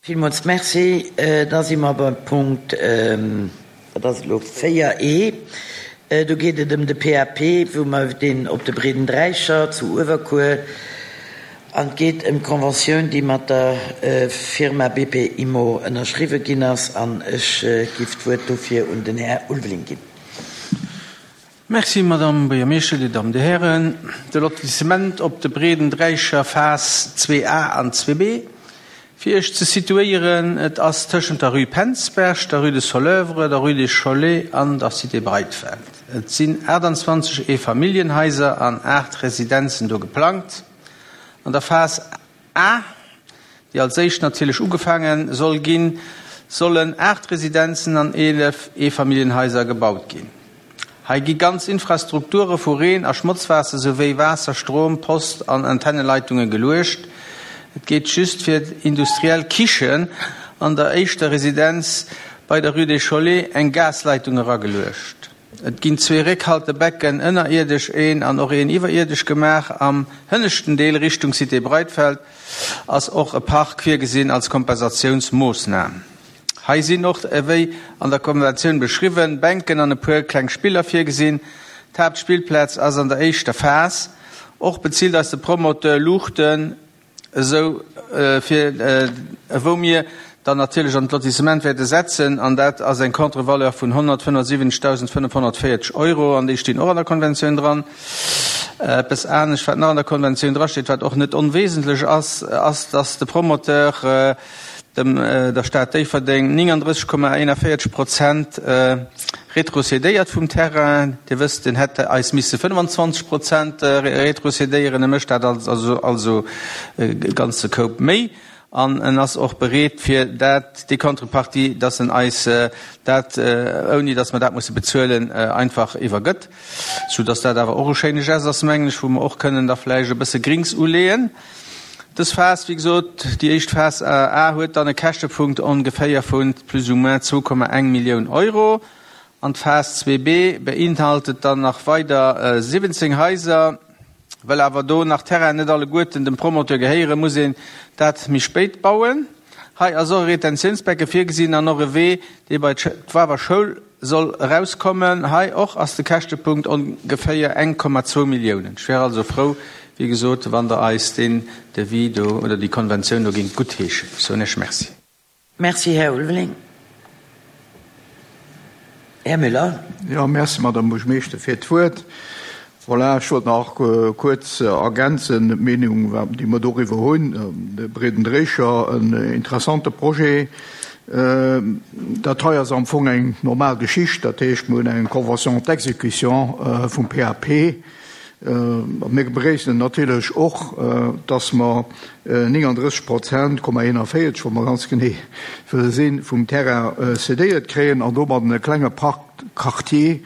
Villmools Merci. Da si mer beim Punkt, wat ass et elo, 4 e. Do geet et ëm de PAP, wou mer deen op de Breeden Dräicher zu Uewerkuer, an et geet ëm d'Conventioun, déi mat der Firma BP Immo ënnerschriwwen ginn ass. An ech giff d'Wuert dofir un den Här Ulveling ginn. Merci, Madame Buergermeeschter, Dir Dammen, Dir Hären. De Lotissement op de Breeden Dräicher, Phas 2A an 2B, fir Iech ze situéieren, et ass tëschent der Rue Penzberg, der Rue de Soleuvre, der Rue des Cholets an der Cité Breitfeld. Et sinn 28 Eefamilljenhaiser an 8 Residenzen do geplangt. An der Phas A, déi als éischt natierlech ugefaange soll ginn, sollen 8 Residenzen an 11 Eefamilljenhaiser gebaut ginn. Hei gi ganz Infrastrukture vu Reen a Schmotzwaasser souwéi Waasser-, Strom-, Post an Antenneleitungen geluecht. Et geet just fir d'industriell Kichen an der éischter Residenz bei der Rue des Cholets eng Gasleitung erageluecht. Et ginn zwee Réckhaltebecken, ënnerierdesch een an och een iwwerierdesch gemaach. Am hënneschten Deel Richtung Cité Breitfeld ass och e Park virgesinn als Kompensatiounsmoossnam. Hei sinn och, ewéi an der Konventioun beschriwwen, Bänken an e puer kleng Spiller virgesinn. D'Haaptspillplaz ass an der éischter Phas. Och bezilt eis de Promoteur Luuchten. esou fir wou mir dann natierlech an d'Lotissement wäerte setzen, an dat ass eng Contre-valeur vun 175.540 Euro, an déi stinn och an der Konventioun dran. Eppes anescht, wat nach an der Konventioun drasteet, wat och net onwesentlech ass, ass, dass de Promoteur dem der Stad Déifferdeng 39,41 Prozent retrocédéiert vum Terrain. Dir wësst, en hätt eis misse 25 Prozent retrocédéieren. E mécht dat also e ganze Koup méi. An en ass och bereet, fir dat, déi Contrepartie, dass en eis dat, ouni dass mer dat musse bezuelen, einfach iwwergëtt. Soudass dat awer och e schéine Geste ass, mengen ech, wou mer och kënnen da vläicht e bësse Grings uleeën. Dës Phas, wéi gesot, déi éischt Phas A, huet dann e Käschtepunkt ongeféier vu plus ou moins 2,1 Millioun Euro. An d'Phas 2B beinhaltet dann nach weider 17 Haiser. Well awer do nach d'Terrainen net alleguerten dem Promoteur gehéieren, muss een dat méi spéit bauen. Hei ass och e Retentiounsbecke virgesinn an och e Wee, dee bei d'Wawer Schoul soll erauskommen. Hei och ass de Käschtepunkt ongeféier 1,2 Milliounen. Ech wär also frou, wéi gesot, wann Der eis deen Devis do oder déi Konventioun do géingt guttheeschen. Ech soen Iech Merci. Merci, Här Ulveling. Här Müller. Jo, merci, Madame Buergermeeschter, fir d'Wuert. Voilà, ech wollt nach kuerz ergänzen d'Meenung, déi mer doriwwer hunn. De Breeden Dréicher, en interessante Projet. Dat hei ass am Fong eng normal Geschicht. Dat heescht, mir hunn eng Convention d'exécution vum PAP. Mir begréissen natierlech och, dass mer 39 Prozent, Komma 41, wa mer ganz genee wëlle sinn, vum Terrain cédéiert kréien an domadden e klenge Parc quartier,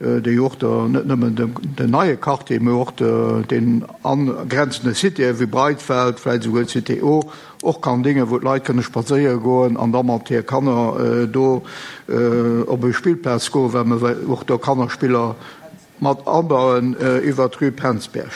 déi och der, net nëmmen den neie Quartier, mä och den angrenzende Citéë wéi Breitfeld, vläicht esouguer d'Cité O, och kann déngen, wou d'Leit kënne spadséiere goen an da mat hir Kanner do op e Spillplaz goen, well mer och do Kannerspiller mat abauen iwwert d'Rue Penzberg.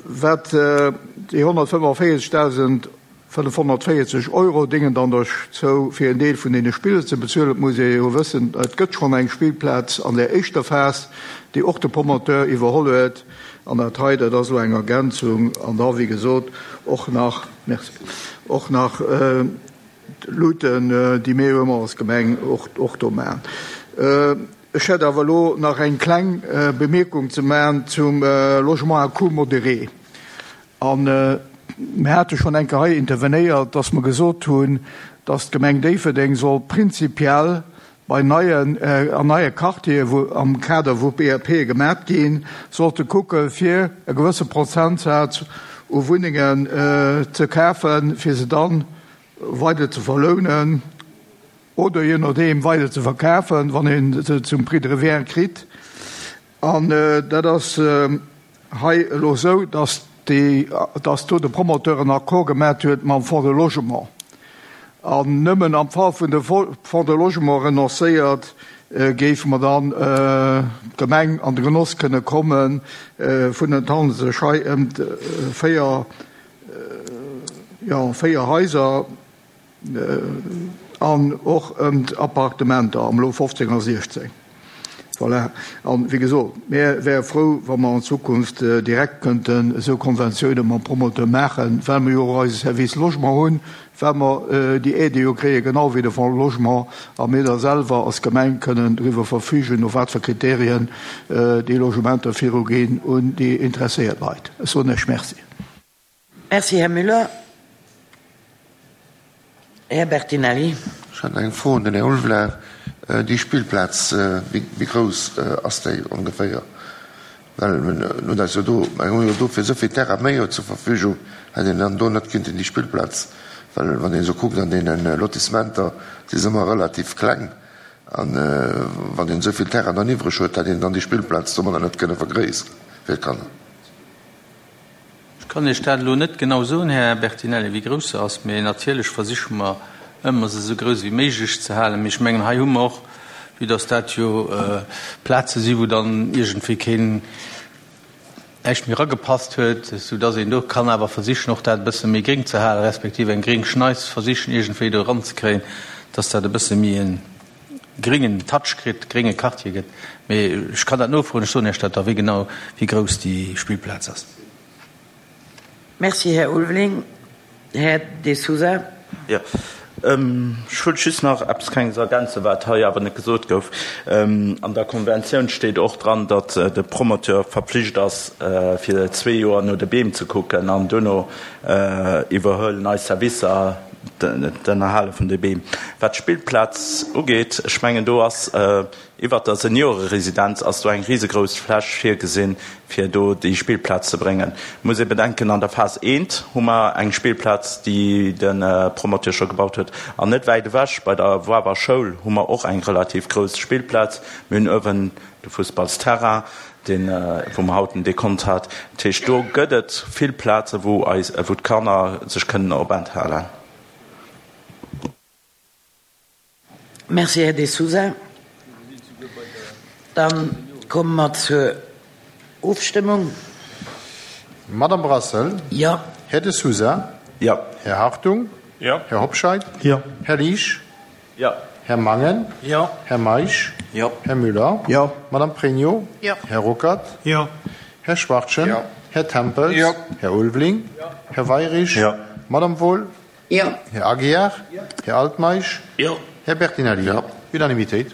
Wat déi 145.540 Euro déngen dann dozou, fir en Deel vun deene Spiller ze bezuelen. Et muss ee jo wëssen, et gëtt schonn eng Spillplaz an där éischter Phas, déi och de Promoteur iwwerholl huet. An dat hei, dat ass elo eng Ergänzung. An da, wéi gesot, och nach, merci, och nach d'Luuten, déi mir jo ëmmer als Gemeng och do maachen. Ech hätt awer elo nach eng kleng Bemierkung ze maachen zum Logement à coût modéré. A mir hate schonn eng Kéier hei intervenéiert, dass mer gesot hunn, dass d'Gemeng Déifferdeng soll prinzipiell bei neien, an neie Quartiere wou am Kader wou BRPe gemat ginn, sollte kucke fir e gewësse Prozentsaz u Wunnengen ze kafen, fir se dann weider ze verlounen. Oder je nodeem weider ze verkafen, wann ee se zum Prix de revient kritt. An dat ass hei elo esou, dass déi, dass do de Promoteur en Accord gemat huet mam Fonds de Logement. An nëmmen am Fall vun de Fonds de Logement renoncéiert, géife mer dann d'Gemeng an de Genoss kënne komme vun, et handelt sech hei ëm 4. jo, 4 Haiser an och ëm d'Appartementer am Lot 15 a 16. Voilà. An, wéi gesot, mir wäre frou, wa mer an Zukunft direkt kënnten esou Konventiounen mam Promoteur maachen, well mer jo och eise Service Logement hunn, well mer déi Aidë jo kréien, genau wéi de Fonds Logement, a mir da selwer als Gemeng kënnen driwwer verfügen, no wat fir Kriterien déi Logementer viruginn un déi interesséiert Leit. Ech soen Iech Merci. Merci, Här Müller. Här Bertinelli. Ech hätt eng Fro un den Här Ulveling. Déi Spillplaz, wéi grouss ass déi ongeféier? Well mir hunn eis jo do, mir hu jo do fir esou vill Terrain méi jo zur Verfügung, hätt een dann do net kinnten déi Spillplaz, well wann een esou kuckt an deene Lotissementer, si se ëmmer relativ kleng, an wann een esou vill Terrain dann iwwreg huet, hätt een dann déi Spillplaz domadder net kënne vergréissere fir d'Kanner. Ech kann Iech dat elo net genau soen, Här Bertinelli, wéi grouss se ass, mee natierlech versiche mer ëmmer, se esou grouss wéi méiglech ze halen. Mee ech mengen, hei hu mer och, vue dass dat jo Plaze si wou dann iergendwéi keen näischt méi eragepasst huet, soudass een do kann awer versichen, och dat e bësse méi gréng ze halen, respektiv eng gréng Schneis versichen iergendwéi do eranzekréien, dass dat e bësse méi e gréngen Touch kritt, grénge Quartier gëtt. Mee ech kann dat nofroen, ech soen Iech dat da, wéi genau, wéi grouss déi Spillplaz ass. Merci, Här Ulveling. Här De Sousa. Jo, ech wollt just nach eppes Klenges ergänzen, wat hei awer net gesot gouf. An der Konventioun steet och dran, datt de Promoteur verpflicht ass, fir zwee Joer no de Beem ze kucken an duerno iwwerhuelen eis Servicer d'Ënnerhale vun de Beem. Wat d'Spillplaz ugeet, ech mengen do ass iwwert der Senioreresidenz ass do eng risegrouss Fläch virgesinn, fir do déi Spillplaz ze bréngen. Et muss ee bedenken, an der Phas I hu mer eng Spillplaz, déi de Promoteur scho gebaut huet, an net wäit ewech bei der Woawer Schoul hu mer och eng relativ grouss Spillplaz. Mir hunn uewen de Fussballsterrain, deen, wou mer haut den Dekont hat. Dat heescht, do gëtt et vill Plaze wou eis, wou d'Kanner sech kënnen openthalen. Merci, Här De Sousa. Da komme mer zur Ofstëmmung. Madame Brassel? Jo. Här De Sousa? Jo. Här Hartung? Jo. Här Hobscheit? Jo. Här Liesch? Jo. Här Mangen? Jo. Här Meisch? Jo. Här Müller? Jo. Madame Pregno? Jo. Här Ruckert? Jo. Här Schwachtgen? Jo. Här Tempels? Jo. Här Ulveling? Jo. Här Weirich? Jo. Madame Wohl? Jo. Här Aguiar? Jo. Här Altmeisch? Jo. Här Bertinelli? Jo. Unanimitéit.